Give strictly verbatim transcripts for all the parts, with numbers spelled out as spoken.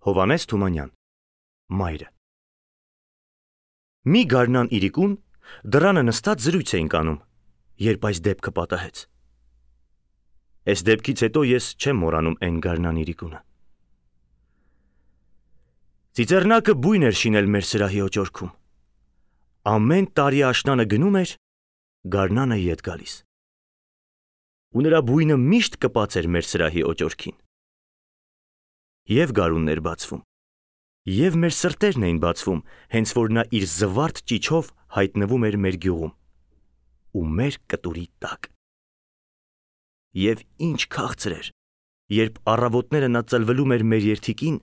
Հովհաննես Թումանյան, Մայրը։ Մի գարնան իրիկուն դռանը նստած զրույց էինք անում, երբ այս դեպքը պատահեց։ Այս դեպքից հետո ես չեմ մոռանում այն գարնան իրիկունը։ Ծիծեռնակը բույն էր շինել մեր սրահի օճորքում։ Ամեն տարի աշնանը գնում էր, գարնանը ետ գալիս։ Ու նրա բույնը միշտ կպած էր մեր սրահի օճորքին։ Եվ գարուններ բացվում, և մեր սրտերն էին բացվում, հենց որ նա իր զվարթ ճիչով հայտնվում էր մեր գյուղում ու մեր կտուրի տակ։ Եվ ինչ քաղցր էր, երբ առավոտները նա ծլվելում էր մեր երթիկին,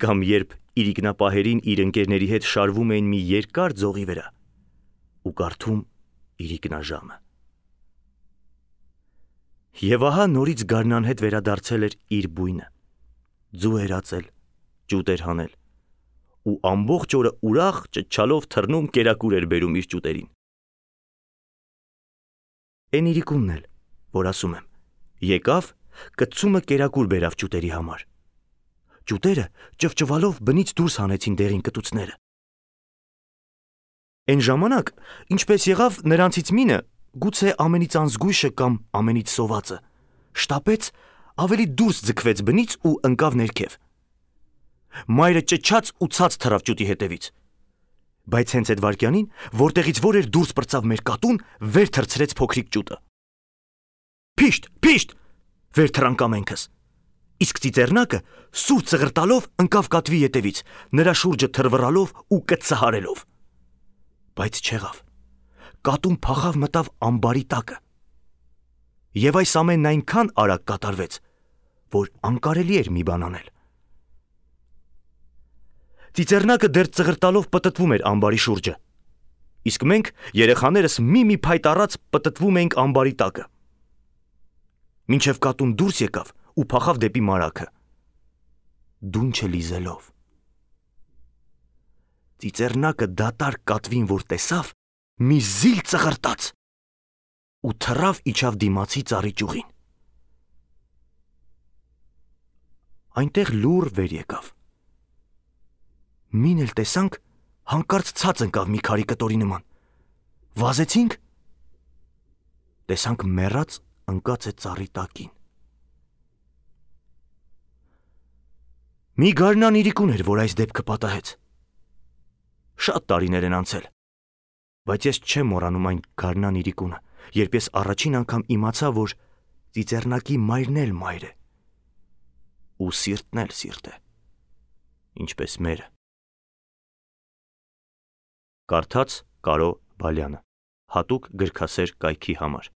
կամ երբ իրիկնապահերին իր ընկերների հետ շարվում էին մի երկար ձողի վրա ու կարդում իրիկնաժամը։ Եվ ահա նորից գարնան հետ վերադարձել էր իր բույնը, ձու էր ածել, ճուտ էր հանել, ու ամբողջ օրը ուրախ ճչալով թռնում կերակուր էր բերում իր ճուտերին։ Էն իրիկունն էլ, որ ասում եմ, եկավ, կծումը կերակուր բերավ ճուտերի համար։ Ճուտերը ճվճվալով բնից դուրս հանեցին դեղին կտուցները։ Էն ժամանակ, ինչպես եղավ, նրանցից մինը, գուցե ամենից անզգույշը կամ ամենից սովածը, շտապեց, ավելի դուրս ձգվեց բնից ու ընկավ ներքև։ Մայրը ճչաց ու ցած թռավ ճուտի հետևից։ Բայց հենց այդ վայրկյանին, որտեղից որ էր դուրս պրծավ մեր կատուն, վեր թռցրեց փոքրիկ ճուտը։ Փիշտ, փիշտ, վեր թռանք ամենքս։ Իսկ ծիծեռնակը սուր ծղրտալով ընկավ կատվի ետևից, նրա շուրջը թռվռալով ու կծահարելով։ Բայց չեղավ։ Կատուն փախավ մտավ ամբարի տակը։ Եվ այս ամենն այնքան արագ կատարվեց, որ անկարելի էր մի բան անել։ Ծիծեռնակը դեռ ծղրտալով պտտվում էր ամբարի շուրջը, իսկ մենք երեխաներս մի-մի փայտ առած պտտվում էինք ամբարի տակը։ Մինչև կատուն դուրս եկավ ու փախավ դեպի մարագը, դունչը լիզելով։ Ծիծեռնակը դատարկ կատվին որ տեսավ, մի զիլ ծղրտաց ու թռավ իջավ դիմացի ծառի ճյուղին։ Այնտեղ լուռ վեր եկավ։ Մին էլ տեսանք, հանկարծ ցած ընկավ մի քարի կտորի նման։ Վազեցինք, տեսանք մեռած ընկած է ծառի տակին։ Մի գարնան իրիկուն էր, որ այս դեպքը պատահեց։ Շատ տարիներ են անցել, բայց ես չեմ մոռանում այն գարնան իրիկունը, երբ ես առաջին անգամ իմացա, որ ծիծեռնակի մայրն էլ մայր է, ու սիրտն էլ սիրտ է, ինչպես մերը։ Կարդաց Կարո Բալյանը, հատուկ գրքասեր կայքի համար։